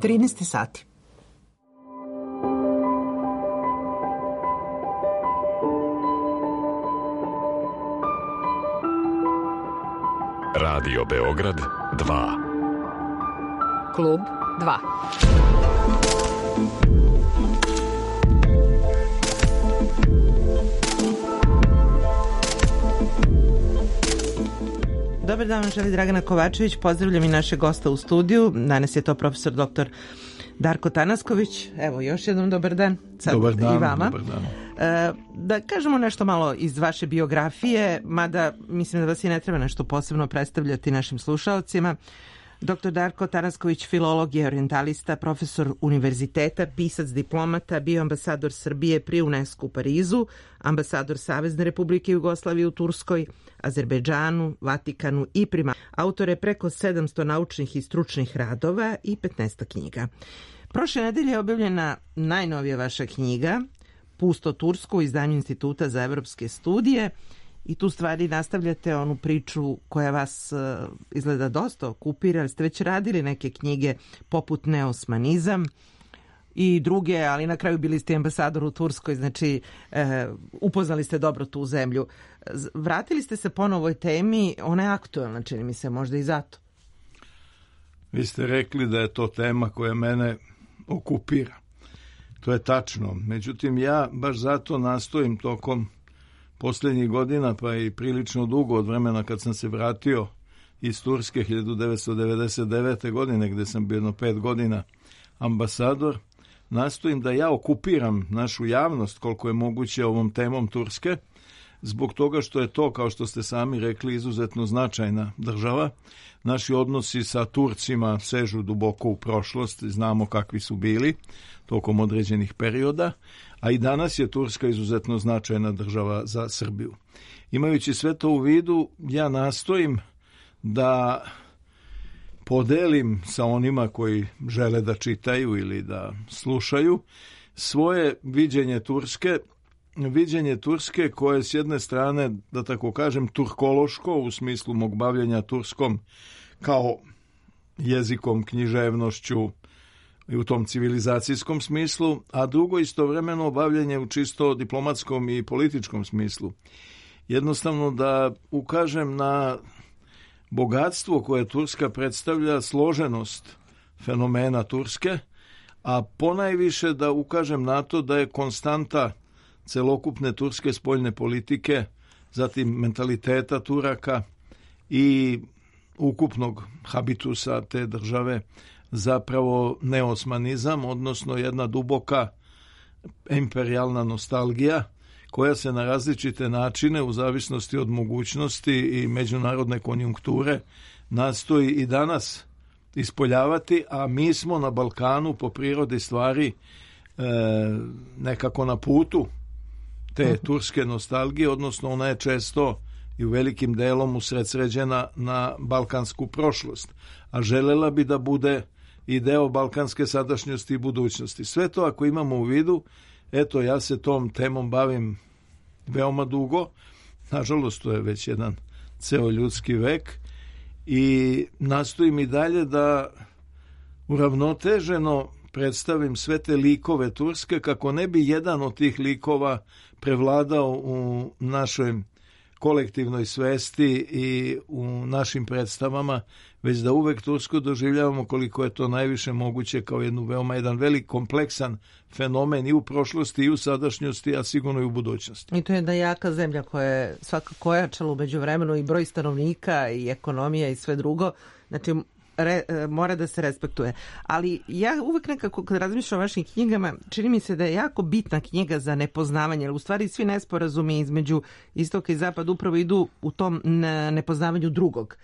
13 sati. Radio Beograd 2. Klub 2. Dobar dan, želi Dragana Kovačević. Pozdravljam i našeg gosta u studiju. Danas je to profesor dr. Darko Tanasković. Evo, još jednom dobar dan. Sad dobar dan, i vama. Dobar dan. Da kažemo nešto malo iz vaše biografije, mada mislim da vas i ne treba nešto posebno predstavljati našim slušalcima. Dr. Darko Tanasković, filolog je orijentalista, profesor univerziteta, pisac, diplomata, bio ambasador Srbije pri UNESCO u Parizu, ambasador Savezne Republike Jugoslavije u Turskoj, Azerbejdžanu, Vatikanu i prima. Autor je preko 700 naučnih i stručnih radova i 15 knjiga. Prošle nedelje je objavljena najnovija vaša knjiga, Pusto Tursko, u izdanju Instituta za evropske studije, i tu stvari nastavljate onu priču koja vas izgleda dosta okupira, ali ste već radili neke knjige poput Neosmanizam i druge, ali na kraju bili ste ambasador u Turskoj, znači upoznali ste dobro tu zemlju. Vratili ste se ponovo ovoj temi, ona je aktuelna, čini mi se, možda i zato. Vi ste rekli da je to tema koja mene okupira. To je tačno. Međutim, ja baš zato nastojim tokom posljednjih godina, pa i prilično dugo od vremena kad sam se vratio iz Turske 1999. godine, gde sam bio 5 godina ambasador, nastojim da ja okupiram našu javnost koliko je moguće ovom temom Turske, zbog toga što je to, kao što ste sami rekli, izuzetno značajna država. Naši odnosi sa Turcima sežu duboko u prošlost, znamo kakvi su bili tokom određenih perioda, a i danas je Turska izuzetno značajna država za Srbiju. Imajući sve to u vidu, ja nastojim da podelim sa onima koji žele da čitaju ili da slušaju svoje viđenje Turske koje s jedne strane, da tako kažem, turkološko u smislu mog bavljenja turskom kao jezikom, književnošću i u tom civilizacijskom smislu, a drugo istovremeno bavljenje u čisto diplomatskom i političkom smislu. Jednostavno da ukažem na bogatstvo koje Turska predstavlja, složenost fenomena Turske, a ponajviše da ukažem na to da je konstanta celokupne turske spoljne politike, zatim mentaliteta Turaka i ukupnog habitusa te države zapravo neosmanizam, odnosno jedna duboka imperijalna nostalgija koja se na različite načine u zavisnosti od mogućnosti i međunarodne konjunkture nastoji i danas ispoljavati, a mi smo na Balkanu po prirodi stvari nekako na putu te turske nostalgije, odnosno ona je često i u velikim delom usredsređena na balkansku prošlost, a želela bi da bude i deo balkanske sadašnjosti i budućnosti. Sve to ako imamo u vidu, eto ja se tom temom bavim veoma dugo, nažalost to je već jedan ceo ljudski vek i nastojim i dalje da uravnoteženo predstavim sve te likove Turske kako ne bi jedan od tih likova prevladao u našoj kolektivnoj svesti i u našim predstavama, već da uvek Tursku doživljavamo koliko je to najviše moguće kao jedan velik kompleksan fenomen i u prošlosti i u sadašnjosti, a sigurno i u budućnosti. I to je jedna jaka zemlja koja je svakako ojačala u međuvremenu i broj stanovnika i ekonomija i sve drugo. Znači mora da se respektuje. Ali ja uvek nekako kad razmišljam o vašim knjigama, čini mi se da je jako bitna knjiga za nepoznavanje, jer u stvari svi nesporazumi između istoka i zapada upravo idu u tom nepoznavanju drugog.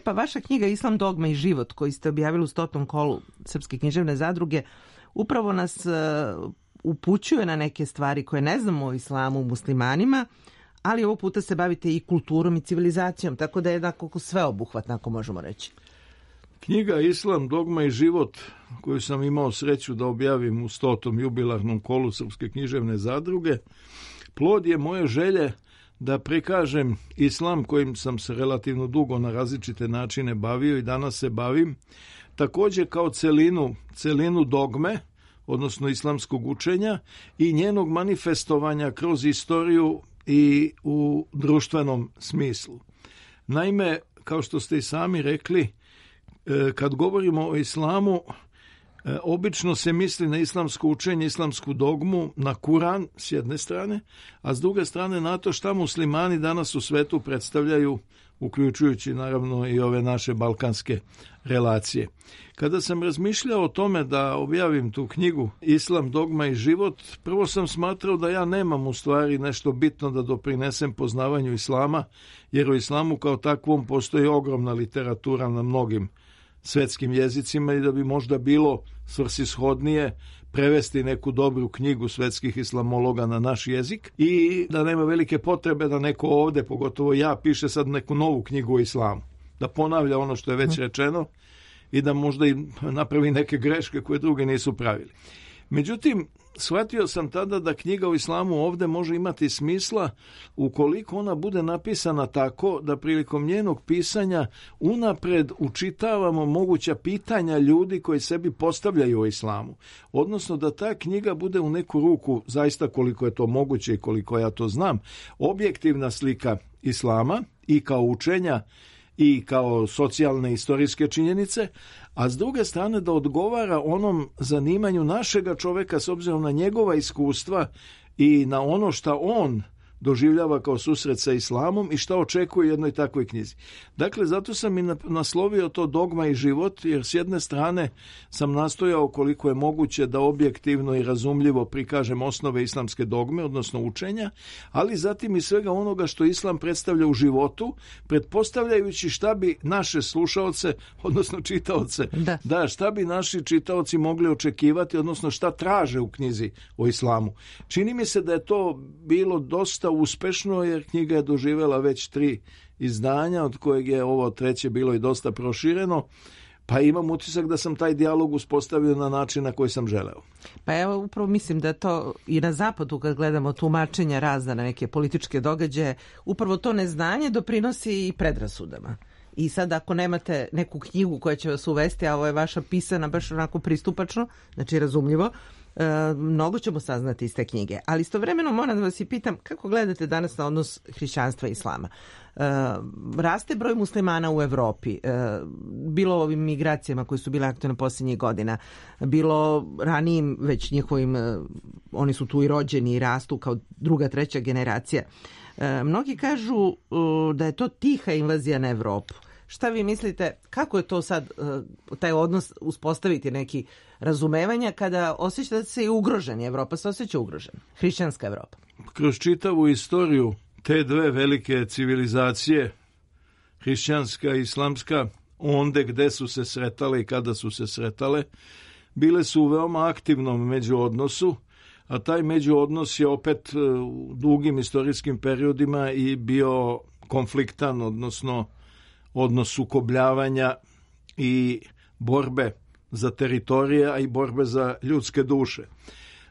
Pa vaša knjiga Islam, dogma i život, koji ste objavili u 100. kolu Srpske književne zadruge, upravo nas upućuje na neke stvari koje ne znamo o islamu, muslimanima, ali ovog puta se bavite i kulturom i civilizacijom, tako da je jednako sveobuhvatno, ako možemo reći. Knjiga Islam, dogma i život, koju sam imao sreću da objavim u 100. jubilarnom kolu Srpske književne zadruge, plod je moje želje da prikažem islam kojim sam se relativno dugo na različite načine bavio i danas se bavim, također kao celinu dogme, odnosno islamskog učenja i njenog manifestovanja kroz istoriju i u društvenom smislu. Naime, kao što ste i sami rekli, kad govorimo o islamu, obično se misli na islamsko učenje, islamsku dogmu, na Kuran s jedne strane, a s druge strane na to šta muslimani danas u svetu predstavljaju, uključujući naravno i ove naše balkanske relacije. Kada sam razmišljao o tome da objavim tu knjigu Islam, dogma i život, prvo sam smatrao da ja nemam u stvari nešto bitno da doprinesem poznavanju islama, jer u islamu kao takvom postoji ogromna literatura na mnogim svetskim jezicima i da bi možda bilo svrsishodnije prevesti neku dobru knjigu svetskih islamologa na naš jezik i da nema velike potrebe da neko ovde, pogotovo ja, piše sad neku novu knjigu o islamu. Da ponavlja ono što je već rečeno i da možda i napravi neke greške koje druge nisu pravili. Međutim, shvatio sam tada da knjiga o islamu ovde može imati smisla ukoliko ona bude napisana tako da prilikom njenog pisanja unapred učitavamo moguća pitanja ljudi koji sebi postavljaju o islamu. Odnosno da ta knjiga bude u neku ruku, zaista koliko je to moguće i koliko ja to znam, objektivna slika islama i kao učenja i kao socijalne istorijske činjenice, a s druge strane da odgovara onom zanimanju našega čoveka s obzirom na njegova iskustva i na ono šta on doživljava kao susret sa islamom i šta očekuje u jednoj takvoj knjizi. Dakle, zato sam i naslovio to dogma i život, jer s jedne strane sam nastojao koliko je moguće da objektivno i razumljivo prikažem osnove islamske dogme, odnosno učenja, ali zatim i svega onoga što islam predstavlja u životu, pretpostavljajući šta bi naše slušaoce, odnosno čitaoce, šta bi naši čitaoci mogli očekivati, odnosno šta traže u knjizi o islamu. Čini mi se da je to bilo dosta uspešno, jer knjiga je doživjela već 3 izdanja, od kojeg je ovo 3. bilo i dosta prošireno, pa imam utisak da sam taj dijalog uspostavio na način na koji sam želeo. Pa evo, upravo mislim da to i na zapadu, kad gledamo tumačenja razna na neke političke događaje, upravo to neznanje doprinosi i predrasudama. I sad ako nemate neku knjigu koja će vas uvesti, a ovo je vaša pisana baš onako pristupačno, znači razumljivo, mnogo ćemo saznati iz te knjige. Ali istovremeno moram da vas i pitam kako gledate danas na odnos hrišćanstva i islama. Raste broj muslimana u Evropi, bilo ovim migracijama koje su bile aktualne posljednjih godina, bilo ranijim već njihovim, oni su tu i rođeni i rastu kao 2., 3. generacija. Mnogi kažu da je to tiha invazija na Evropu. Šta vi mislite, kako je to sad, taj odnos uspostaviti neki razumevanja kada osjećate se i ugroženi? Evropa se osjeća ugrožena, hrišćanska Evropa. Kroz čitavu istoriju te dve velike civilizacije, hrišćanska i islamska, onde gde su se sretale i kada su se sretale, bile su u veoma aktivnom međuodnosu, a taj međuodnos je opet u dugim istorijskim periodima i bio konfliktan, odnosno odnos sukobljavanja i borbe za teritorije, a i borbe za ljudske duše.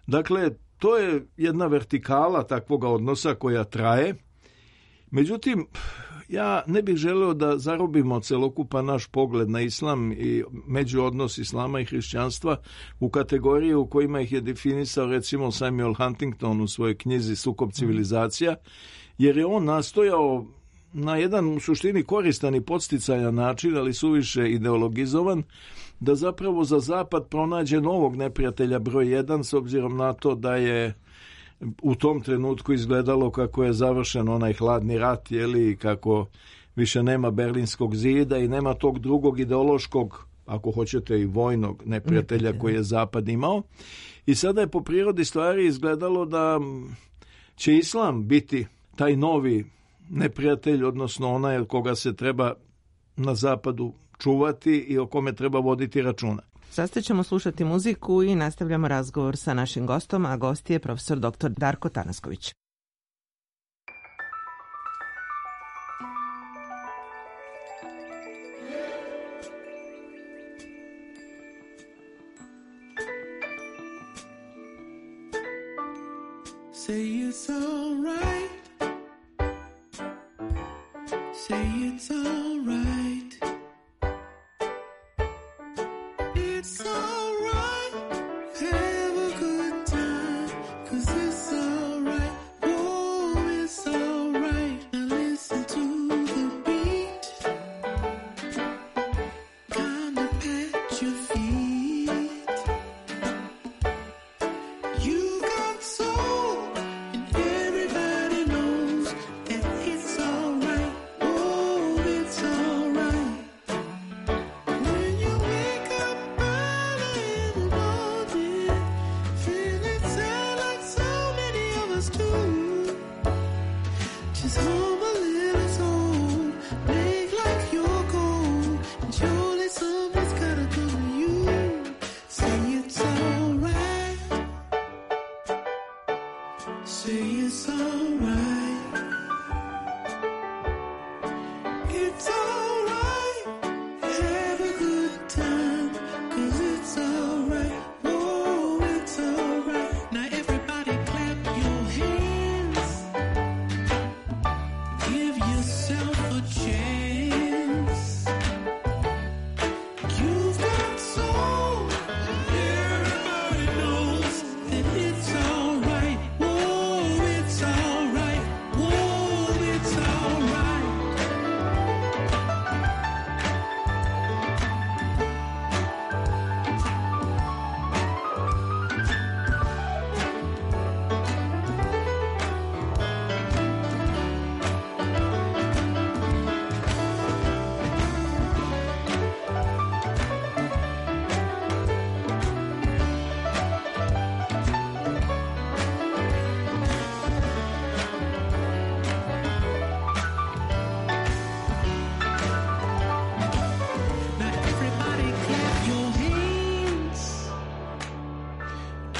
Dakle, to je jedna vertikala takvoga odnosa koja traje. Međutim, ja ne bih želeo da zarobimo celokupan naš pogled na islam i međuodnos islama i hrišćanstva u kategorije u kojima ih je definisao recimo Samuel Huntington u svojoj knjizi Sukob civilizacija, jer je on nastojao na jedan u suštini koristan i podsticajan način, ali suviše ideologizovan, da zapravo za zapad pronađe novog neprijatelja broj 1, s obzirom na to da je u tom trenutku izgledalo kako je završen onaj hladni rat, i kako više nema Berlinskog zida i nema tog drugog ideološkog, ako hoćete i vojnog neprijatelja koji je zapad imao. I sada je po prirodi stvari izgledalo da će islam biti taj novi neprijatelj, odnosno onaj od koga se treba na zapadu čuvati i o kome treba voditi računa. Sada ćemo slušati muziku i nastavljamo razgovor sa našim gostom, a gost je profesor dr. Darko Tanasković. Say it's all right. Say it's all right.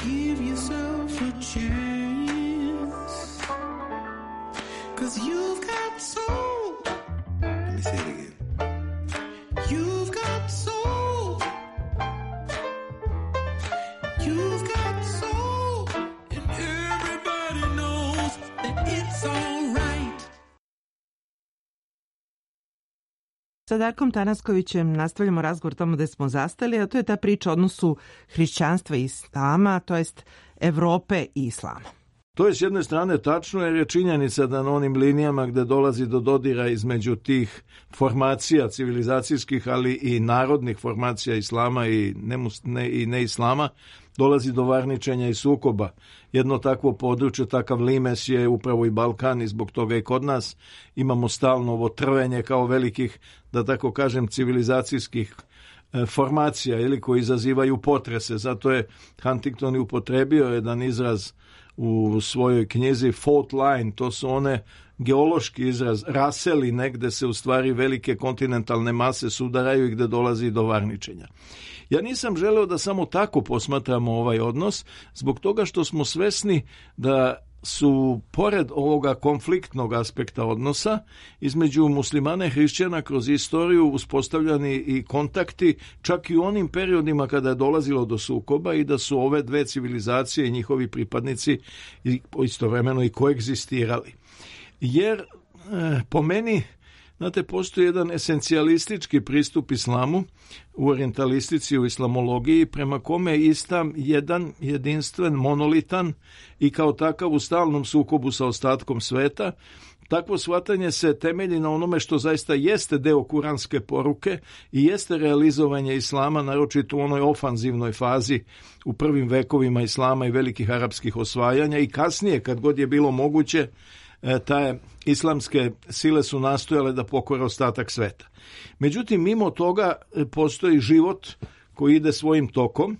give yourself a chance, 'cause you've got soul. Let me say it again. You've got soul. You've got soul. And everybody knows that it's all right. Sa Darkom Tanaskovićem nastavljamo razgovor tamo gde smo zastali, a to je ta priča o odnosu hrišćanstva i islama, to jest Evrope i islama. To je s jedne strane tačno, jer je činjenica da na onim linijama gde dolazi do dodira između tih formacija civilizacijskih, ali i narodnih formacija islama i neislama, dolazi do varničenja i sukoba. Jedno takvo područje, takav limes je upravo i Balkan i zbog toga i kod nas imamo stalno ovo trvenje kao velikih, da tako kažem, civilizacijskih formacija ili koji izazivaju potrese. Zato je Huntington i upotrebio jedan izraz u svojoj knjizi fault line, to su one geološki izraz, raseli negde se u stvari velike kontinentalne mase sudaraju i gde dolazi do varničenja. Ja nisam želeo da samo tako posmatramo ovaj odnos, zbog toga što smo svesni da su, pored ovoga konfliktnog aspekta odnosa, između muslimana i hrišćana kroz istoriju uspostavljani i kontakti, čak i u onim periodima kada je dolazilo do sukoba i da su ove dve civilizacije i njihovi pripadnici istovremeno i koegzistirali. Jer, po meni, znate, postoji jedan esencijalistički pristup islamu u orijentalistici, u islamologiji, prema kome je islam jedan, jedinstven, monolitan i kao takav u stalnom sukobu sa ostatkom sveta. Takvo shvatanje se temelji na onome što zaista jeste deo kuranske poruke i jeste realizovanje islama, naročito u onoj ofanzivnoj fazi u prvim vekovima islama i velikih arapskih osvajanja i kasnije, kad god je bilo moguće, te islamske sile su nastojale da pokore ostatak sveta. Međutim, mimo toga postoji život koji ide svojim tokom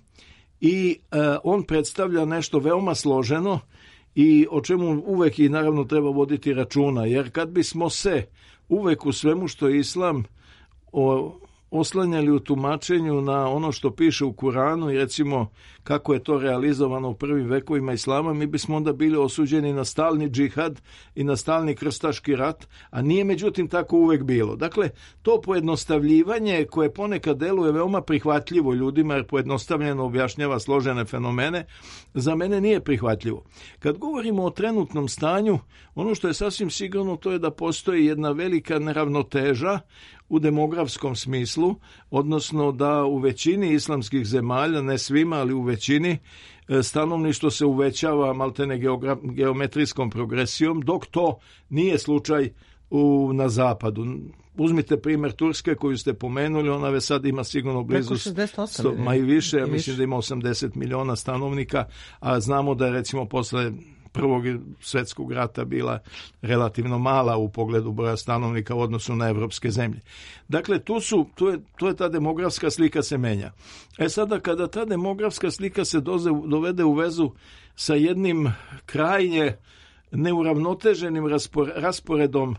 i on predstavlja nešto veoma složeno i o čemu uvek i naravno treba voditi računa, jer kad bismo se uvek u svemu što je islam oslanjali u tumačenju na ono što piše u Kuranu i recimo kako je to realizovano u prvim vekovima islama, mi bismo onda bili osuđeni na stalni džihad i na stalni krstaški rat, a nije međutim tako uvek bilo. Dakle, to pojednostavljivanje koje ponekad deluje veoma prihvatljivo ljudima jer pojednostavljeno objašnjava složene fenomene, za mene nije prihvatljivo. Kad govorimo o trenutnom stanju, ono što je sasvim sigurno to je da postoji jedna velika neravnoteža u demografskom smislu, odnosno da u većini islamskih zemalja, ne svima, ali u većini, stanovništvo se uvećava maltene geometrijskom progresijom, dok to nije slučaj na zapadu. Uzmite primjer Turske koju ste pomenuli, ona već sad ima sigurno blizu 68, ma i više, ja mislim da ima 80 miliona stanovnika, a znamo da je recimo posle Prvog svjetskog rata bila relativno mala u pogledu broja stanovnika u odnosu na evropske zemlje. Dakle, to je ta demografska slika se menja. Sada kada ta demografska slika se dovede u vezu sa jednim krajnje neuravnoteženim rasporedom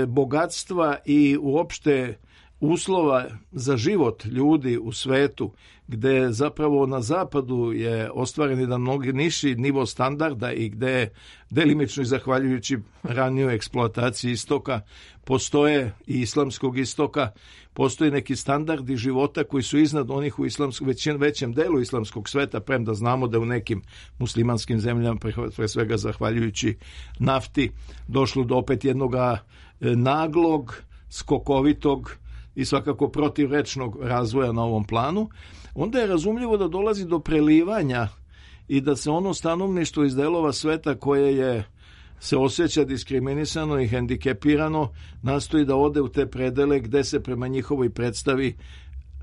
bogatstva i uopšte uslova za život ljudi u svetu, gde zapravo na zapadu je ostvaren jedan mnogo niži nivo standarda i gde delimično i zahvaljujući ranijoj eksploataciji istoka postoje i islamskog istoka, postoje neki standardi života koji su iznad onih u većem delu islamskog sveta, premda znamo da u nekim muslimanskim zemljama, pre svega zahvaljujući nafti, došlo do opet jednog naglog, skokovitog i svakako protivrečnog razvoja na ovom planu, onda je razumljivo da dolazi do prelivanja i da se ono stanovništvo iz delova sveta koje se osjeća diskriminisano i hendikepirano nastoji da ode u te predele gde se prema njihovoj predstavi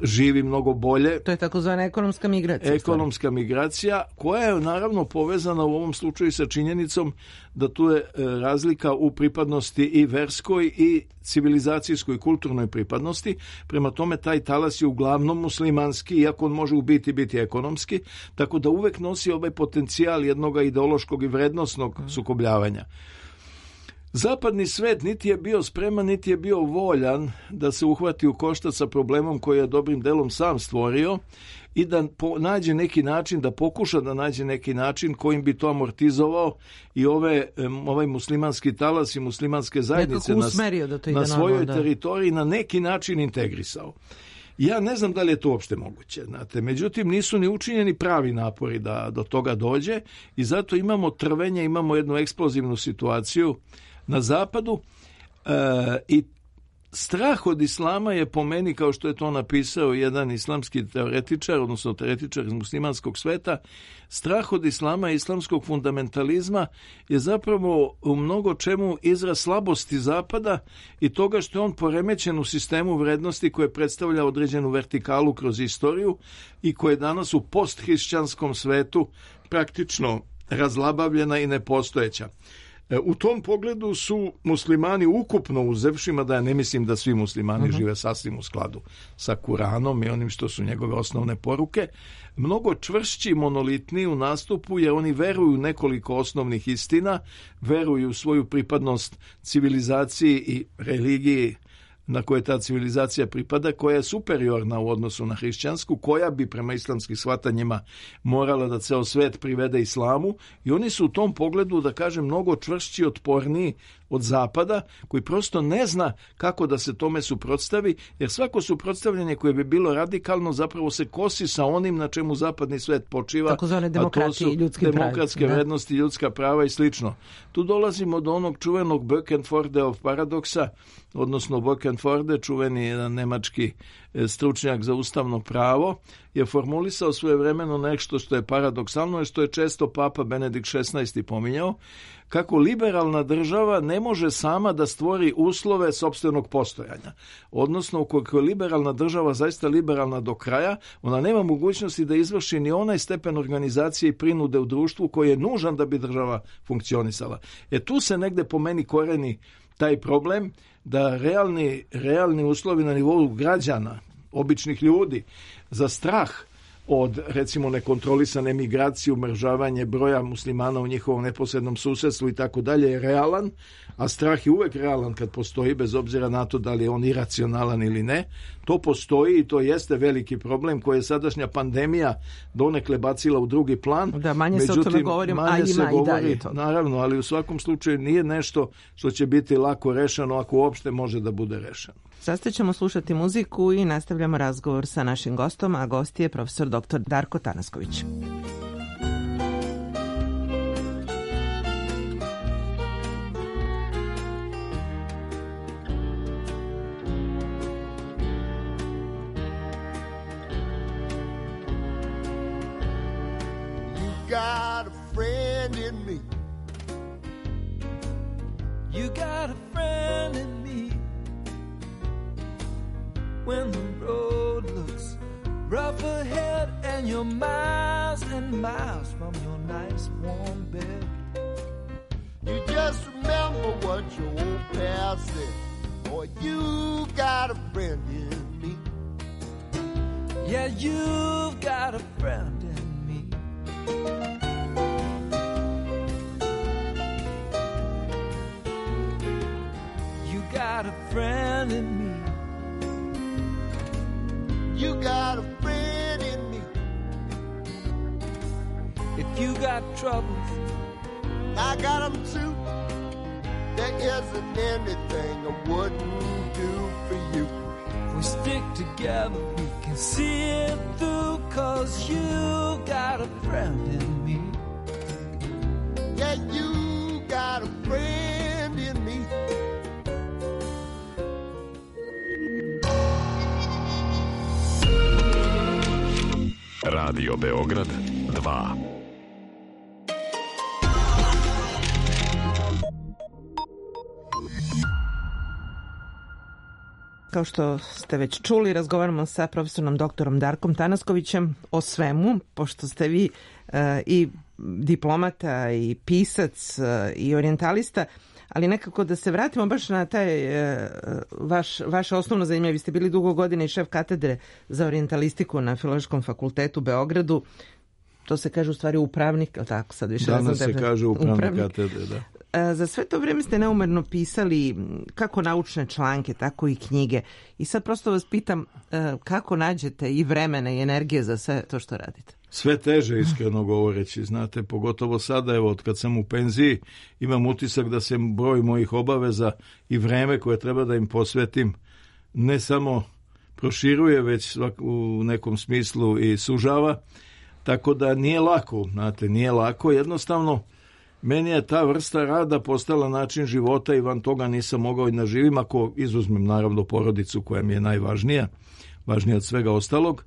živi mnogo bolje. To je takozvana ekonomska migracija. Ekonomska migracija koja je naravno povezana u ovom slučaju sa činjenicom da tu je razlika u pripadnosti i verskoj i civilizacijskoj kulturnoj pripadnosti. Prema tome taj talas je uglavnom muslimanski, iako on može u biti ekonomski, tako da uvek nosi ovaj potencijal jednog ideološkog i vrednosnog sukobljavanja. Zapadni svet niti je bio spreman, niti je bio voljan da se uhvati u koštac sa problemom koji je dobrim delom sam stvorio i da nađe neki način, da pokuša da nađe neki način kojim bi to amortizovao i ovaj muslimanski talas i muslimanske zajednice na svojoj teritoriji na neki način integrisao. Ja ne znam da li je to uopšte moguće, znate. Međutim, nisu ni učinjeni pravi napori da do toga dođe i zato imamo trvenje, imamo jednu eksplozivnu situaciju na zapadu i strah od islama je po meni, kao što je to napisao jedan islamski teoretičar, odnosno teoretičar iz muslimanskog sveta, strah od islama i islamskog fundamentalizma je zapravo u mnogo čemu izraz slabosti zapada i toga što je on poremećen u sistemu vrednosti koje predstavlja određenu vertikalu kroz istoriju i koje je danas u posthrišćanskom svetu praktično razlabavljena i nepostojeća. U tom pogledu su muslimani ukupno uzevši, mada ja ne mislim da svi muslimani žive sasvim u skladu sa Kuranom i onim što su njegove osnovne poruke, mnogo čvršći, monolitni u nastupu jer oni veruju u nekoliko osnovnih istina, veruju u svoju pripadnost civilizaciji i religiji na koje ta civilizacija pripada, koja je superiorna u odnosu na hrišćansku, koja bi prema islamskim shvatanjima morala da ceo svet privede islamu i oni su u tom pogledu, da kažem, mnogo čvršći, otporniji od zapada, koji prosto ne zna kako da se tome suprotstavi, jer svako suprotstavljanje koje bi bilo radikalno zapravo se kosi sa onim na čemu zapadni svet počiva, a to su demokratske vrednosti, ljudska prava i slično. Tu dolazimo do onog čuvenog Böckenfordeov paradoksa, odnosno Böckenforde, čuveni jedan nemački stručnjak za ustavno pravo, je formulisao svojevremeno nešto što je paradoksalno i što je često Papa Benedikt XVI pominjao, kako liberalna država ne može sama da stvori uslove sopstvenog postojanja. Odnosno, ukoliko je liberalna država zaista liberalna do kraja, ona nema mogućnosti da izvrši ni onaj stepen organizacije i prinude u društvu koji je nužan da bi država funkcionisala. Tu se negde po meni koreni taj problem da realni uslovi na nivou građana, običnih ljudi, za strah od, recimo, nekontrolisane migracije, umržavanje broja muslimana u njihovom neposrednom susedstvu i tako dalje je realan, a strah je uvek realan kad postoji, bez obzira na to da li je on iracionalan ili ne. To postoji i to jeste veliki problem koji je sadašnja pandemija donekle bacila u drugi plan. Da, manje se o tome govorim, a ima i dalje to. Naravno, ali u svakom slučaju nije nešto što će biti lako rešeno, ako uopšte može da bude rešeno. Sada ćemo slušati muziku i nastavljamo razgovor sa našim gostom, a gost je profesor dr. Darko Tanasković. Got a friend in me. You got a friend in me. When the road looks rough ahead and you're miles and miles from your nice warm bed, you just remember what your old pal said. Boy, you got a friend in me. Yeah, you've got a friend in me. You got a friend in me. You got a friend in me. If you got troubles, I got them too. There isn't anything I wouldn't do for you. If we stick together, we can see it through, 'cause you got a friend in me. Yeah, you got a friend in me. Radio Beograd 2. Kao što ste već čuli, razgovaramo sa profesorom doktorom Darkom Tanaskovićem o svemu, pošto ste vi i diplomata i pisac i orijentalista, ali nekako da se vratimo baš na taj vaše osnovno zanimanje. Vi ste bili dugo godina i šef katedre za orijentalistiku na Filozofskom fakultetu u Beogradu. To se kaže u stvari upravnik, ali tako sad više danas se kaže upravnik katedre, da. za sve to vrijeme ste neumerno pisali kako naučne članke, tako i knjige. I sad prosto vas pitam kako nađete i vremena i energije za sve to što radite? Sve teže, iskreno govoreći, znate, pogotovo sada, evo, od kad sam u penziji, imam utisak da se broj mojih obaveza i vreme koje treba da im posvetim ne samo proširuje, već u nekom smislu i sužava, tako da nije lako, znate, nije lako, jednostavno meni je ta vrsta rada postala način života i van toga nisam mogao i da živim, ako izuzmem naravno porodicu koja mi je najvažnija, važnija od svega ostalog.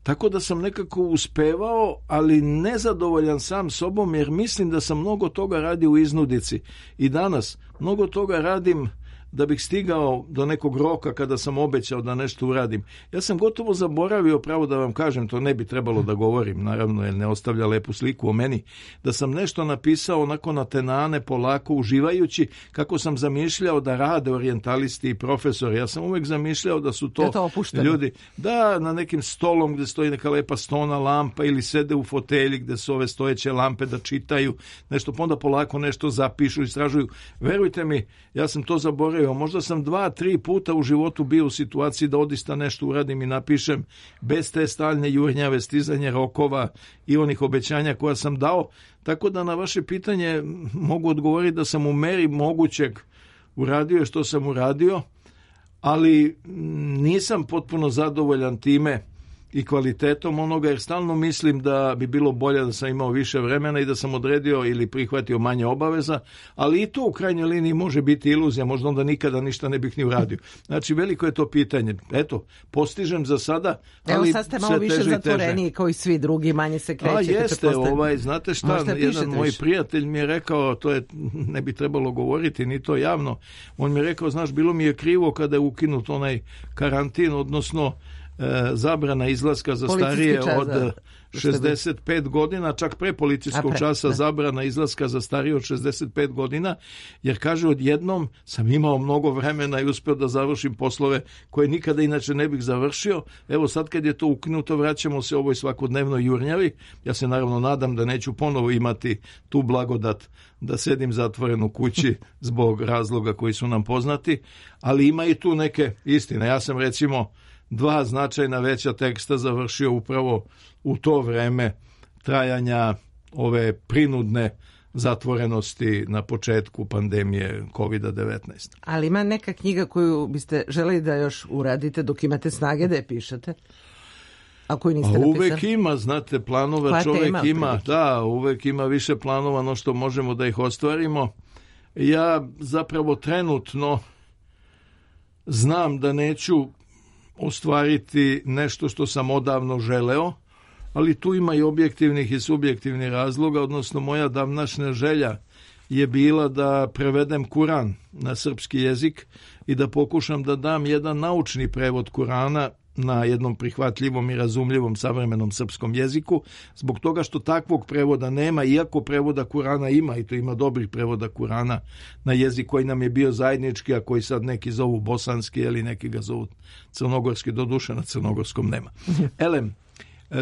Tako da sam nekako uspevao, ali nezadovoljan sam sobom, jer mislim da sam mnogo toga radio u iznudici. I danas mnogo toga radim da bih stigao do nekog roka kada sam obećao da nešto uradim. Ja sam gotovo zaboravio, pravo da vam kažem, to ne bi trebalo da govorim, naravno, jer ne ostavlja lepu sliku o meni, da sam nešto napisao onako na tenane, polako, uživajući kako sam zamišljao da rade orijentalisti i profesori. Ja sam uvek zamišljao da su to ljudi, da, na nekim stolom gde stoji neka lepa stona lampa ili sede u fotelji gde su ove stojeće lampe da čitaju nešto, pa onda polako nešto zapišu, istražuju. Verujte mi, ja sam to zaboravio. Možda sam 2-3 puta u životu bio u situaciji da odista nešto uradim i napišem bez te stalne jurnjave, stizanje rokova i onih obećanja koja sam dao. Tako da na vaše pitanje mogu odgovoriti da sam u meri mogućeg uradio što sam uradio, ali nisam potpuno zadovoljan time i kvalitetom onoga, jer stalno mislim da bi bilo bolje da sam imao više vremena i da sam odredio ili prihvatio manje obaveza, ali i to u krajnjoj liniji može biti iluzija, možda onda nikada ništa ne bih ni uradio. Znači, veliko je to pitanje. Eto, postižem za sada, ali sad ste malo više zatvoreniji kao i svi drugi, manje se krećete. Jeste, znate šta, jedan moj prijatelj mi je rekao, to je, ne bi trebalo govoriti, ni to javno, on mi je rekao, znaš, bilo mi je krivo kada je ukinut onaj karantin, odnosno zabrana izlaska za starije od 65 godina, čak pre policijskog časa zabrana izlaska za starije od 65 godina, jer kaže, odjednom sam imao mnogo vremena i uspeo da završim poslove koje nikada inače ne bih završio. Evo sad kad je to ukinuto, vraćamo se ovoj svakodnevnoj jurnjavi. Ja se naravno nadam da neću ponovo imati tu blagodat da sedim zatvoren u kući zbog razloga koji su nam poznati, ali ima i tu neke istine. Ja sam recimo 2 značajna veća teksta završio upravo u to vreme trajanja ove prinudne zatvorenosti na početku pandemije COVID-19. Ali ima neka knjiga koju biste želeli da još uradite dok imate snage da je pišete? A koju niste napisali? Uvek ima, znate, planova koja čovek ima. Da, uvek ima više planova no što možemo da ih ostvarimo. Ja zapravo trenutno znam da neću ostvariti nešto što sam odavno želeo, ali tu ima i objektivnih i subjektivnih razloga, odnosno moja davnašnja želja je bila da prevedem Kuran na srpski jezik i da pokušam da dam jedan naučni prevod Kurana na jednom prihvatljivom i razumljivom savremenom srpskom jeziku, zbog toga što takvog prevoda nema, iako prevoda Kurana ima, i to ima dobrih prevoda Kurana na jezik koji nam je bio zajednički, a koji sad neki zovu bosanski ili neki ga zovu crnogorski, doduše na crnogorskom nema.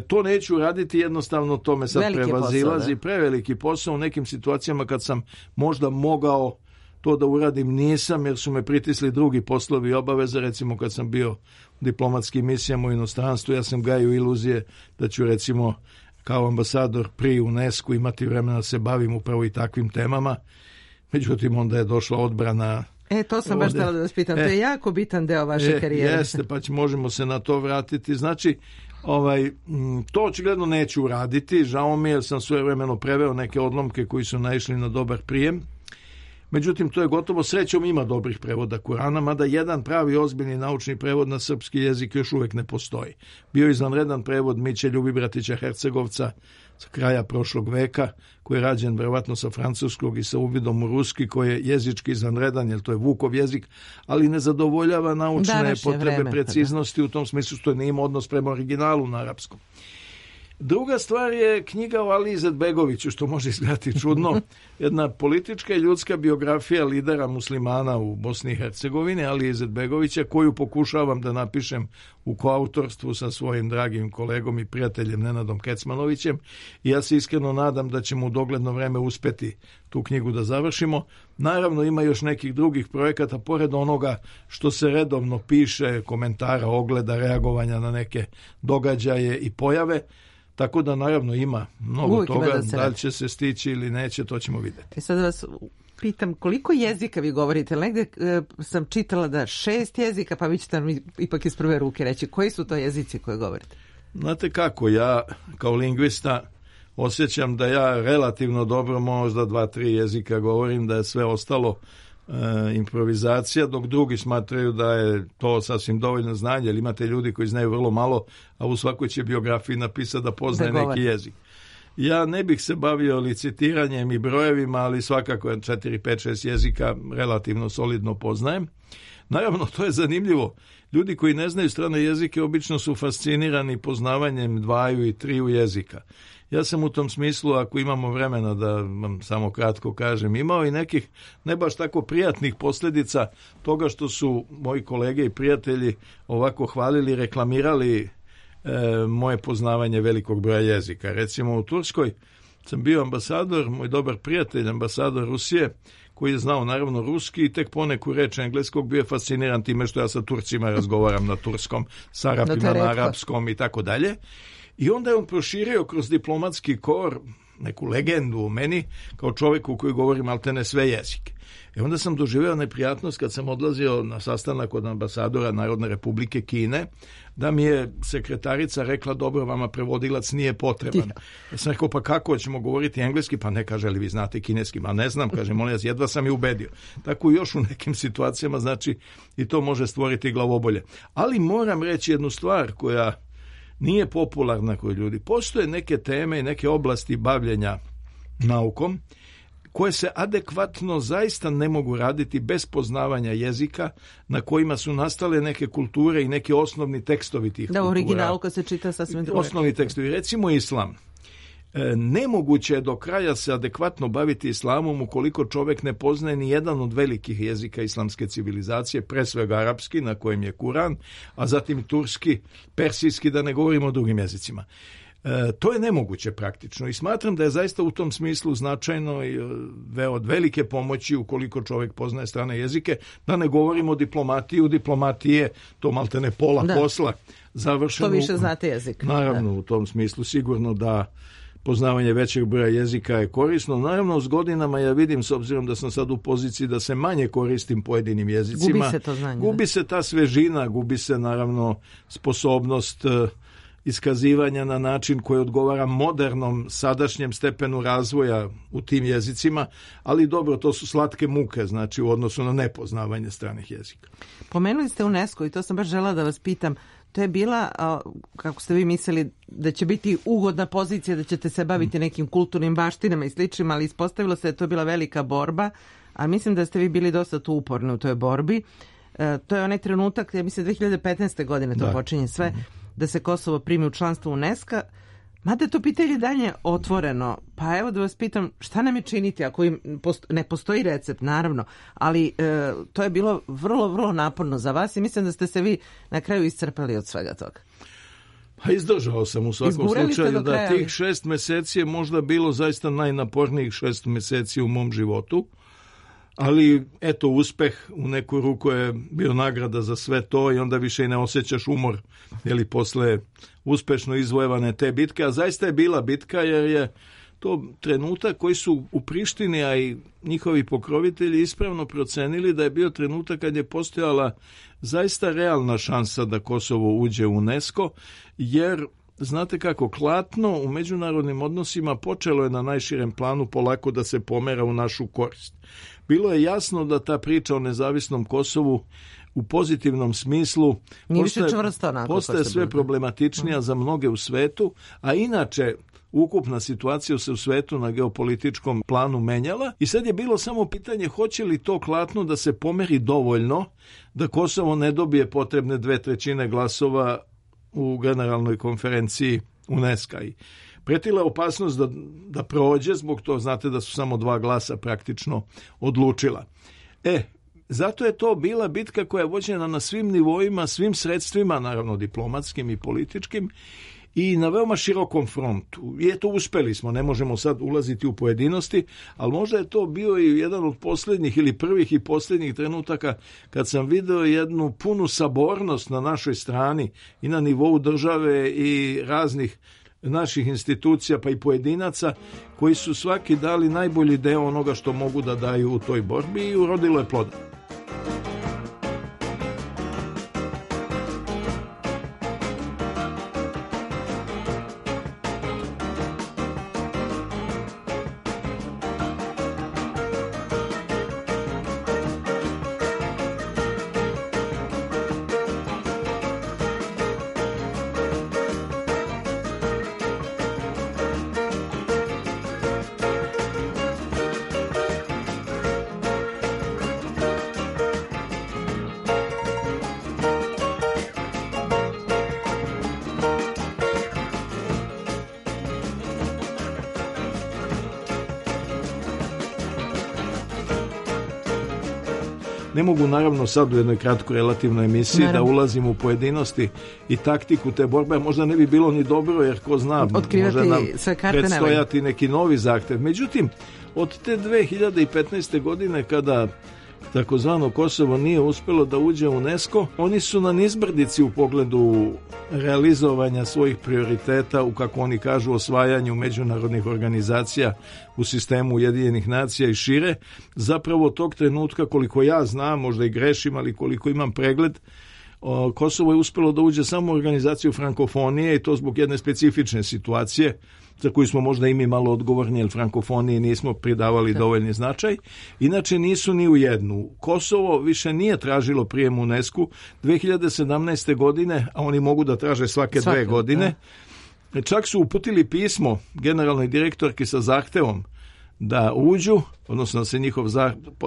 To neću raditi, jednostavno to me sad prevazilazi, preveliki posao. U nekim situacijama kad sam možda mogao to da uradim nisam, jer su me pritisli drugi poslovi i obaveze. Recimo kad sam bio u diplomatskim misijama u inostranstvu, ja sam gajio iluzije da ću recimo kao ambasador pri UNESCO imati vremena da se bavim upravo i takvim temama. Međutim, onda je došla odbrana. To sam baš htjela da vas pitam, to je jako bitan deo vaše karijere. Jeste, pa možemo se na to vratiti. Znači, to očigledno neću uraditi. Žao mi je, jer sam svojevremeno preveo neke odlomke koji su naišli na dobar prijem. Međutim, to je gotovo, srećom ima dobrih prevoda Kurana, mada jedan pravi ozbiljni naučni prevod na srpski jezik još uvijek ne postoji. Bio je izvanredan prevod Miće Ljubibratića Hercegovca sa kraja prošlog veka, koji je rađen verovatno sa francuskog i sa uvidom u ruski, koji je jezički izvanredan, jer to je Vukov jezik, ali ne zadovoljava naučne potrebe preciznosti u tom smislu što ne ima odnos prema originalu na arapskom. Druga stvar je knjiga o Ali Izetbegoviću, što može izgledati čudno. Jedna politička i ljudska biografija lidera muslimana u Bosni i Hercegovini, Ali Izetbegovića, koju pokušavam da napišem u koautorstvu sa svojim dragim kolegom i prijateljem Nenadom Kecmanovićem. I ja se iskreno nadam da ćemo u dogledno vreme uspeti tu knjigu da završimo. Naravno, ima još nekih drugih projekata, pored onoga što se redovno piše, komentara, ogleda, reagovanja na neke događaje i pojave. Tako da, naravno, ima mnogo Uvijek toga. Da li će se stići ili neće, to ćemo vidjeti. Sad vas pitam, koliko jezika vi govorite? Negde sam čitala da 6 jezika, pa vi ćete nam ipak iz prve ruke reći. Koji su to jezici koje govorite? Znate kako, ja kao lingvista osjećam da ja relativno dobro možda 2-3 jezika govorim, da je sve ostalo improvizacija, dok drugi smatraju da je to sasvim dovoljno znanje, jer imate ljudi koji znaju vrlo malo, a u svakoj će biografiji napisati da poznaje neki jezik. Ja ne bih se bavio licitiranjem i brojevima, ali svakako 4, 5, 6 jezika relativno solidno poznajem. Naravno, to je zanimljivo. Ljudi koji ne znaju strane jezike obično su fascinirani poznavanjem 2 i 3 jezika. Ja sam u tom smislu, ako imamo vremena da vam samo kratko kažem, imao i nekih ne baš tako prijatnih posljedica toga što su moji kolege i prijatelji ovako hvalili, reklamirali moje poznavanje velikog broja jezika. Recimo u Turskoj sam bio ambasador, moj dobar prijatelj, ambasador Rusije, koji je znao naravno ruski i tek poneku reč engleskog, bio je fasciniran time što ja sa Turcima razgovaram na turskom, s Arapima na arapskom i tako dalje. I onda je on proširio kroz diplomatski kor neku legendu o meni kao čovjeku koji govori maltene sve jezike. I onda sam doživio neprijatnost kad sam odlazio na sastanak od ambasadora Narodne Republike Kine, da mi je sekretarica rekla, dobro, vama prevodilac nije potreban. Ja sam rekao, pa kako ćemo govoriti engleski? Pa ne, kaže, li vi znate kineski? Ma ne znam, kaže, molim vas, jedva sam je ubedio. Tako još u nekim situacijama, znači, i to može stvoriti glavobolje. Ali moram reći jednu stvar koja nije popularna kod ljudi. Postoje neke teme i neke oblasti bavljenja naukom koje se adekvatno zaista ne mogu raditi bez poznavanja jezika na kojima su nastale neke kulture i neki osnovni tekstovi tih kultura. Da, originalu kad se čita sasvim drugo. Osnovni tekstovi. Recimo islam. Nemoguće je do kraja se adekvatno baviti islamom ukoliko čovjek ne poznaje ni jedan od velikih jezika islamske civilizacije, pre svega arapski, na kojem je Kuran, a zatim turski, persijski, da ne govorimo o drugim jezicima. To je nemoguće praktično i smatram da je zaista u tom smislu značajno i od velike pomoći ukoliko čovjek poznaje strane jezike, da ne govorimo o diplomatiji. U diplomatiji je to maltene pola posla završeno. To više znate jezik. Naravno, u tom smislu sigurno da poznavanje većeg broja jezika je korisno. Naravno, s godinama ja vidim, s obzirom da sam sad u poziciji da se manje koristim pojedinim jezicima. Gubi se to znanje. Gubi se ta svežina, gubi se naravno sposobnost iskazivanja na način koji odgovara modernom sadašnjem stepenu razvoja u tim jezicima, ali dobro, to su slatke muke, znači u odnosu na nepoznavanje stranih jezika. Pomenuli ste UNESCO i to sam baš žela da vas pitam. To je bila, kako ste vi mislili, da će biti ugodna pozicija, da ćete se baviti nekim kulturnim baštinama i sličnim, ali ispostavilo se da je to bila velika borba, a mislim da ste vi bili dosta tu uporni u toj borbi. To je onaj trenutak, ja mislim 2015. godine to počinje sve, da se Kosovo primi u članstvo UNESCO. Mada je to pitanje dalje otvoreno, pa evo da vas pitam šta nam je činiti ako ne postoji recept, naravno, ali to je bilo vrlo, vrlo naporno za vas i mislim da ste se vi na kraju iscrpali od svega toga. Pa izdržao sam u svakom slučaju da tih 6 mjeseci je možda bilo zaista najnapornijih 6 mjeseci u mom životu. Ali, eto, uspeh u neku ruku je bio nagrada za sve to i onda više i ne osjećaš umor, jeli posle uspešno izvojevane te bitke, a zaista je bila bitka jer je to trenutak koji su u Prištini, a i njihovi pokrovitelji ispravno procenili da je bio trenutak kad je postojala zaista realna šansa da Kosovo uđe u UNESCO, jer znate kako, klatno u međunarodnim odnosima počelo je na najširem planu polako da se pomera u našu korist. Bilo je jasno da ta priča o nezavisnom Kosovu u pozitivnom smislu postaje sve problematičnija za mnoge u svetu, a inače ukupna situacija se u svetu na geopolitičkom planu menjala i sad je bilo samo pitanje hoće li to klatno da se pomeri dovoljno da Kosovo ne dobije potrebne 2/3 glasova u generalnoj konferenciji UNESCO. I pretila je opasnost da prođe, zbog to znate da su samo 2 glasa praktično odlučila. Zato je to bila bitka koja je vođena na svim nivoima, svim sredstvima, naravno diplomatskim i političkim, i na veoma širokom frontu. I eto, uspeli smo, ne možemo sad ulaziti u pojedinosti, ali možda je to bio i jedan od posljednjih ili prvih i posljednjih trenutaka kad sam video jednu punu sabornost na našoj strani i na nivou države i raznih naših institucija pa i pojedinaca koji su svaki dali najbolji deo onoga što mogu da daju u toj borbi i urodilo je plodom. Ne mogu naravno sad u jednoj kratkoj relativnoj emisiji da ulazim u pojedinosti i taktiku te borbe, možda ne bi bilo ni dobro jer ko zna, može nam predstojati neki novi zahtev. Međutim, od te 2015. godine kada takozvano Kosovo nije uspjelo da uđe u UNESCO, oni su na nizbrdici u pogledu realizovanja svojih prioriteta u, kako oni kažu, osvajanju međunarodnih organizacija u sistemu Ujedinjenih nacija i šire. Zapravo tog trenutka, koliko ja znam, možda i grešim, ali koliko imam pregled, Kosovo je uspjelo da uđe samo u organizaciju frankofonije i to zbog jedne specifične situacije za koju smo možda i mi malo odgovorni, jer frankofoniji nismo pridavali dovoljni značaj. Inače nisu ni u jednu. Kosovo više nije tražilo prijem u UNESCO 2017. godine, a oni mogu da traže svake 2 godine. Čak su uputili pismo generalnoj direktorki sa zahtevom da uđu, odnosno da se njihov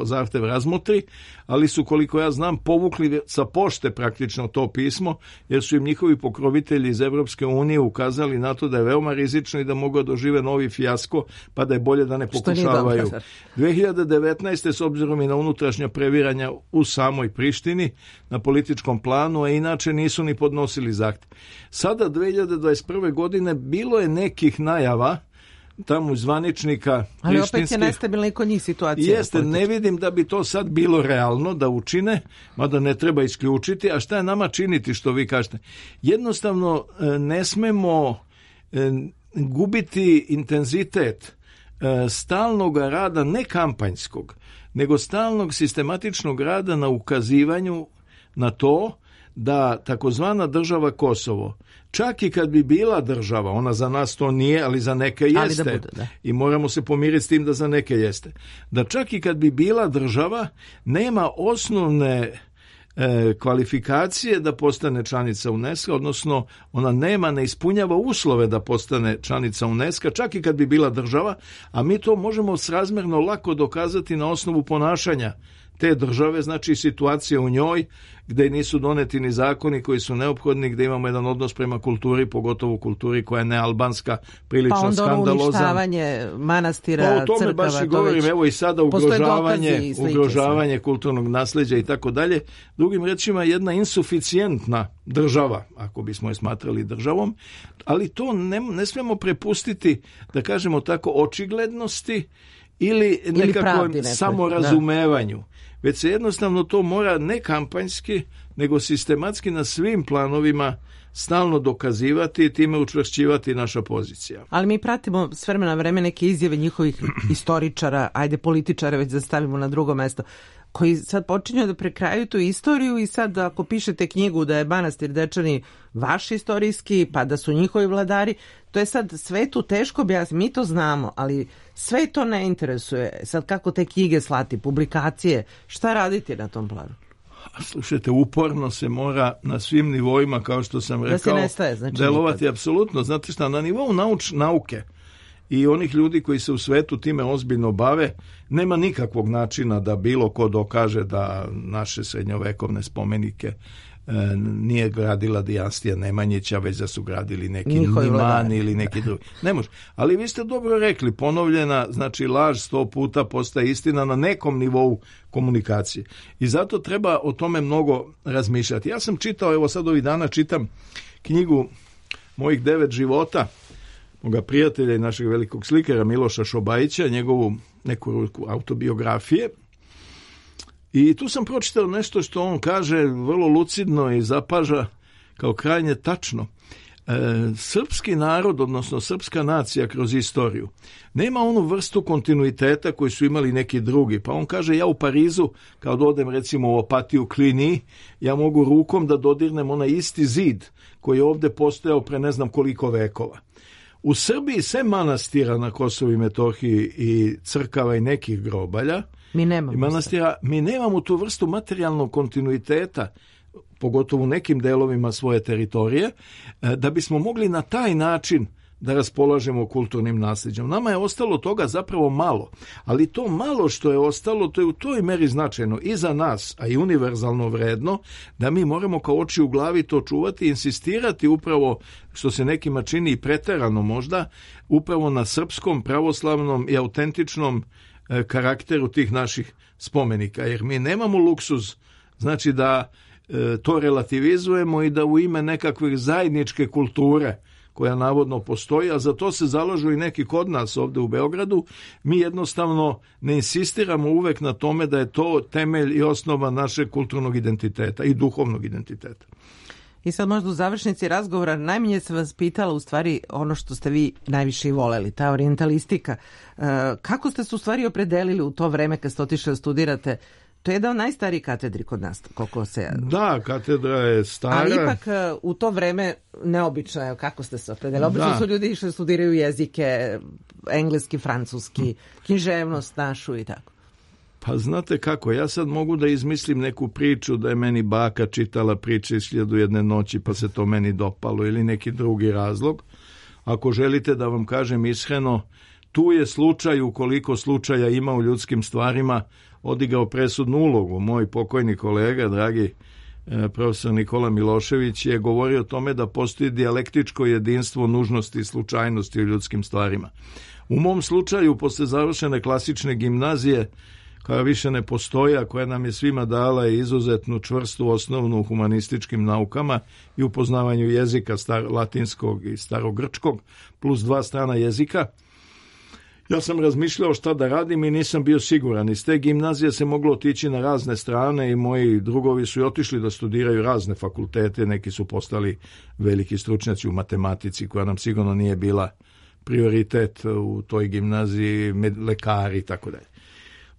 zahtev razmotri, ali su, koliko ja znam, povukli sa pošte praktično to pismo, jer su im njihovi pokrovitelji iz Evropske unije ukazali na to da je veoma rizično i da mogu dožive novi fijasko, pa da je bolje da ne pokušavaju. 2019. s obzirom i na unutrašnja previranja u samoj Prištini, na političkom planu, a inače nisu ni podnosili zahtev. Sada, 2021. godine, bilo je nekih najava tamo zvaničnika ali opet je nestabilna i kod njih situacija. Jeste, ne vidim da bi to sad bilo realno da učine, mada ne treba isključiti. A šta je nama činiti, što vi kažete? Jednostavno ne smemo gubiti intenzitet stalnog rada, ne kampanjskog, nego stalnog sistematičnog rada na ukazivanju na to da takozvana država Kosovo, čak i kad bi bila država, ona za nas to nije, ali za neke jeste. Da bude, da. I moramo se pomiriti s tim da za neke jeste. Da čak i kad bi bila država, nema osnovne kvalifikacije da postane članica UNESCO, odnosno ona ne ispunjava uslove da postane članica UNESCO, čak i kad bi bila država, a mi to možemo srazmjerno lako dokazati na osnovu ponašanja te države, znači situacije u njoj gdje nisu doneti ni zakoni koji su neophodni, gdje imamo jedan odnos prema kulturi, pogotovo kulturi koja je nealbanska, prilično skandalozan. Pa onda uništavanje manastira, crkava. O tome baš i govorim, evo i sada ugrožavanje kulturnog nasljeđa i tako dalje. Drugim rečima, jedna insuficijentna država, ako bismo je smatrali državom, ali to ne smijemo prepustiti, da kažemo tako, očiglednosti ili nekakvom samorazumevanju. Već se jednostavno to mora ne kampanjski, nego sistematski na svim planovima stalno dokazivati i time učvršćivati naša pozicija. Ali mi pratimo s vremena na vreme neke izjave njihovih istoričara, ajde političara već da stavimo na drugo mesto, koji sad počinju da prekraju tu istoriju i sad ako pišete knjigu da je manastir Dečani vaš istorijski, pa da su njihovi vladari, to je sad svetu teško objasniti, mi to znamo, ali sve to ne interesuje. Sad kako te knjige slati, publikacije, šta raditi na tom planu? Slušajte, uporno se mora na svim nivoima, kao što sam rekao, delovati nikad. Apsolutno. Znate šta, na nivou nauke i onih ljudi koji se u svetu time ozbiljno bave, nema nikakvog načina da bilo ko dokaže da naše srednjovekovne spomenike nije gradila dinastija Nemanjića, već da su gradili neki Njihovi Nimani vladari. ili neki drugi. Ne može. Ali vi ste dobro rekli, ponovljena, znači laž 100 puta postaje istina na nekom nivou komunikacije. I zato treba o tome mnogo razmišljati. Ja sam čitao, evo sad ovih dana čitam knjigu Mojih 9 života, moga prijatelja i našeg velikog slikara Miloša Šobajića, njegovu neku autobiografije. I tu sam pročitao nešto što on kaže vrlo lucidno i zapaža kao krajnje tačno. Srpski narod, odnosno srpska nacija kroz istoriju, nema onu vrstu kontinuiteta koju su imali neki drugi. Pa on kaže, ja u Parizu, kao da odem recimo u Opatiju Klini, ja mogu rukom da dodirnem onaj isti zid koji je ovdje postojao pre ne znam koliko vekova. U Srbiji sve manastira na Kosovu i Metohiji i crkava i nekih grobalja, Mi nemamo. manastira, mi nemamo tu vrstu materijalnog kontinuiteta, pogotovo u nekim delovima svoje teritorije, da bismo mogli na taj način da raspolažemo kulturnim nasljeđem. Nama je ostalo toga zapravo malo, ali to malo što je ostalo, to je u toj meri značajno i za nas, a i univerzalno vredno, da mi moramo kao oči u glavi to čuvati i insistirati upravo, što se nekima čini i preterano možda, upravo na srpskom, pravoslavnom i autentičnom karakteru tih naših spomenika, jer mi nemamo luksuz, znači da to relativizujemo i da u ime nekakve zajedničke kulture koja navodno postoji, a za to se zalažu i neki kod nas ovdje u Beogradu, mi jednostavno ne insistiramo uvek na tome da je to temelj i osnova našeg kulturnog identiteta i duhovnog identiteta. I sad možda u završnici razgovora najmanje se vas pitala u stvari ono što ste vi najviše i voleli, ta orijentalistika. Kako ste se u stvari opredelili u to vreme kad ste otišli da studirate? To je jedan od najstarijih katedri kod nas, koliko se... Da, katedra je stara. Ali ipak u to vreme neobično je kako ste se opredelili. Obično su ljudi išli studiraju jezike, engleski, francuski, književnost našu i tako. Pa znate kako, ja sad mogu da izmislim neku priču da je meni baka čitala priče iz 1001 noći pa se to meni dopalo ili neki drugi razlog. Ako želite da vam kažem iskreno, tu je slučaj, ukoliko slučaja ima u ljudskim stvarima, odigrao presudnu ulogu. Moj pokojni kolega, dragi profesor Nikola Milošević, je govorio o tome da postoji dijalektičko jedinstvo nužnosti i slučajnosti u ljudskim stvarima. U mom slučaju, posle završene klasične gimnazije, koja više ne postoji, a koja nam je svima dala izuzetnu čvrstu osnovnu u humanističkim naukama i u poznavanju jezika latinskog i starogrčkog, plus 2 strana jezika, ja sam razmišljao šta da radim i nisam bio siguran. Iz te gimnazije se moglo otići na razne strane i moji drugovi su i otišli da studiraju razne fakultete. Neki su postali veliki stručnjaci u matematici, koja nam sigurno nije bila prioritet u toj gimnaziji, lekari i tako dalje.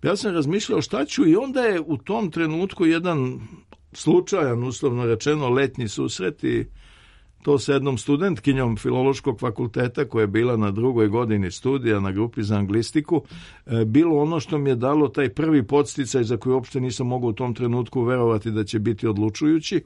Ja sam razmišljao šta ću i onda je u tom trenutku jedan slučajan, uslovno rečeno, letnji susret i to sa jednom studentkinjom Filološkog fakulteta koja je bila na 2. godini studija na grupi za anglistiku, bilo ono što mi je dalo taj prvi podsticaj za koji uopšte nisam mogao u tom trenutku verovati da će biti odlučujući.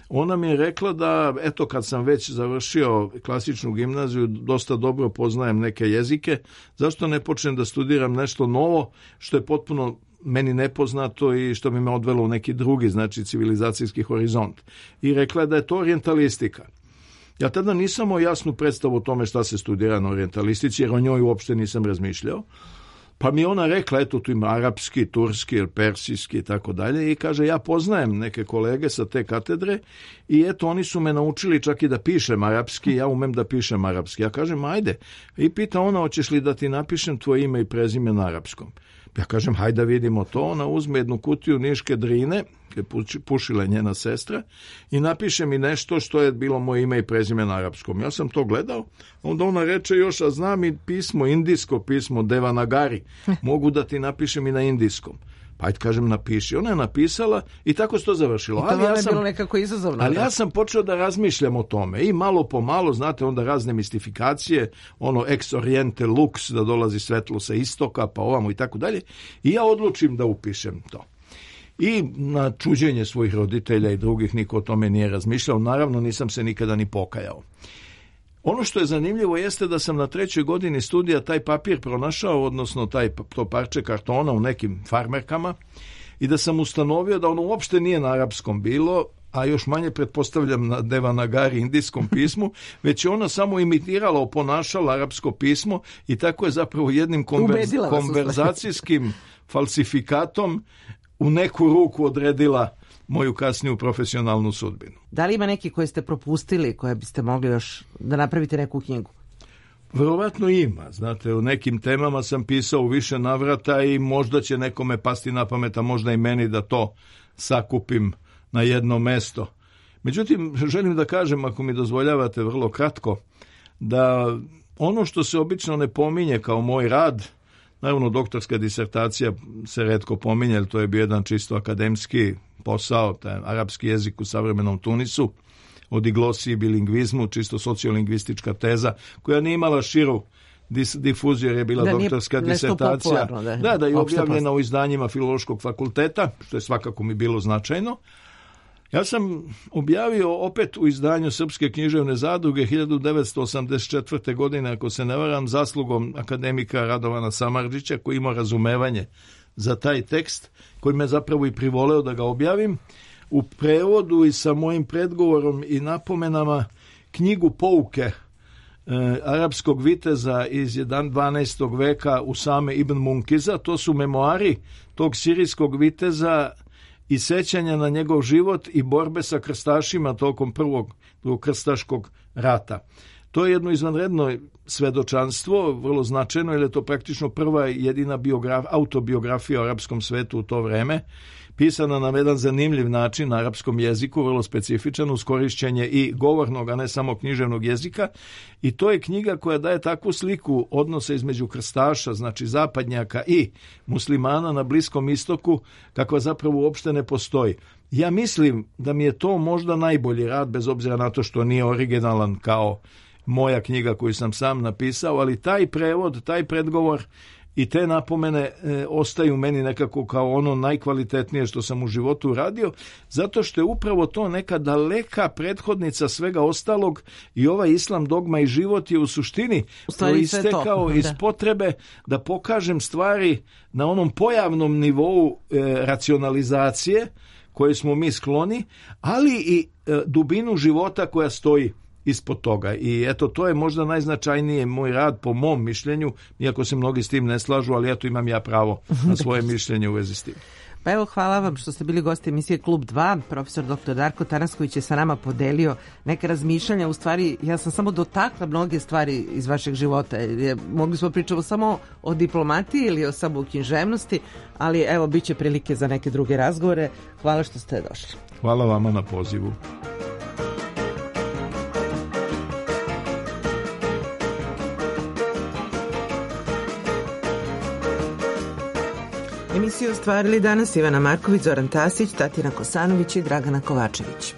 Ona mi je rekla da, eto, kad sam već završio klasičnu gimnaziju, dosta dobro poznajem neke jezike, zašto ne počnem da studiram nešto novo, što je potpuno meni nepoznato i što bi me odvelo u neki drugi, znači civilizacijski horizont. I rekla je da je to orijentalistika. Ja tada nisam imao jasnu predstavu o tome šta se studira na orijentalistici, jer o njoj uopšte nisam razmišljao. Pa mi ona rekla, eto, tu ima arapski, turski, persijski i tako dalje, i kaže, ja poznajem neke kolege sa te katedre i eto, oni su me naučili čak i da pišem arapski, ja umem da pišem arapski. Ja kažem, ajde. I pita ona, hoćeš li da ti napišem tvoje ime i prezime na arapskom? Ja kažem, hajde da vidimo to. Ona uzme jednu kutiju niške drine, pušila je njena sestra, i napiše mi nešto što je bilo moje ime i prezime na arapskom. Ja sam to gledao, onda ona reče još, a znam i pismo, indijsko pismo, Devanagari, mogu da ti napišem i na indijskom. Pa ajde, kažem, napiši. Ona je napisala i tako se to završilo. I to vam je bilo nekako izazovno. Ali ja sam počeo da razmišljam o tome i malo po malo, znate, onda razne mistifikacije, ono ex oriente lux, da dolazi svetlo sa istoka, pa ovamo i tako dalje. I ja odlučim da upišem to. I na čuđenje svojih roditelja i drugih niko o tome nije razmišljao. Naravno, nisam se nikada ni pokajao. Ono što je zanimljivo jeste da sam na 3. godini studija taj papir pronašao, odnosno to parče kartona u nekim farmerkama, i da sam ustanovio da ono uopšte nije na arapskom bilo, a još manje pretpostavljam na Devanagari indijskom pismu, već je ona samo imitirala, oponašala arapsko pismo i tako je zapravo jednim konverzacijskim falsifikatom u neku ruku odredila moju kasniju profesionalnu sudbinu. Da li ima neki koje ste propustili, koje biste mogli još da napravite neku knjigu? Verovatno ima. Znate, u nekim temama sam pisao u više navrata i možda će nekome pasti na pamet, a možda i meni da to sakupim na jedno mesto. Međutim, želim da kažem, ako mi dozvoljavate vrlo kratko, da ono što se obično ne pominje kao moj rad, naravno doktorska disertacija se retko pominje, jer to je bio jedan čisto akademski posao, taj arapski jezik u savremenom Tunisu, o diglosiji i bilingvizmu, čisto sociolingvistička teza, koja nije imala širu difuziju jer je bila doktorska disertacija. Da je objavljena u izdanjima Filološkog fakulteta, što je svakako mi bilo značajno. Ja sam objavio opet u izdanju Srpske književne zadruge 1984. godine, ako se ne varam, zaslugom akademika Radovana Samardžića, koji ima razumevanje za taj tekst, koji me zapravo i privoleo da ga objavim, u prevodu i sa mojim predgovorom i napomenama knjigu pouke arapskog viteza iz 12. veka Usame ibn Munkiza. To su memoari tog sirijskog viteza i sećanja na njegov život i borbe sa krstašima tokom prvog krstaškog rata. To je jedno izvanredno svedočanstvo, vrlo značajno, jer je to praktično prva i jedina autobiografija o arapskom svetu u to vreme, pisana na jedan zanimljiv način na arapskom jeziku, vrlo specifičan, uz korišćenje i govornog, a ne samo književnog jezika. I to je knjiga koja daje takvu sliku odnosa između krstaša, znači zapadnjaka, i muslimana na Bliskom istoku, kakva zapravo uopšte ne postoji. Ja mislim da mi je to možda najbolji rad, bez obzira na to što nije originalan kao moja knjiga koju sam sam napisao, ali taj prevod, taj predgovor i te napomene ostaju meni nekako kao ono najkvalitetnije što sam u životu uradio, zato što je upravo to neka daleka prethodnica svega ostalog i ovaj islam, dogma i život je u suštini proistekao iz potrebe da pokažem stvari na onom pojavnom nivou racionalizacije koje smo mi skloni, ali i dubinu života koja stoji ispod toga. I eto, to je možda najznačajnije moj rad po mom mišljenju, iako se mnogi s tim ne slažu, ali eto, imam ja pravo na svoje mišljenje u vezi s tim. Pa evo, hvala vam što ste bili gosti emisije Klub 2. Profesor dr. Darko Tanasković je sa nama podelio neke razmišljanja. U stvari, ja sam samo dotakla mnoge stvari iz vašeg života. Mogli smo pričati samo o diplomatiji ili o samo književnosti, ali evo, bit će prilike za neke druge razgovore. Hvala što ste došli. Hvala vama na pozivu. Emisiju ostvarili danas Ivana Marković, Zoran Tasić, Tatjana Kosanović i Dragana Kovačević.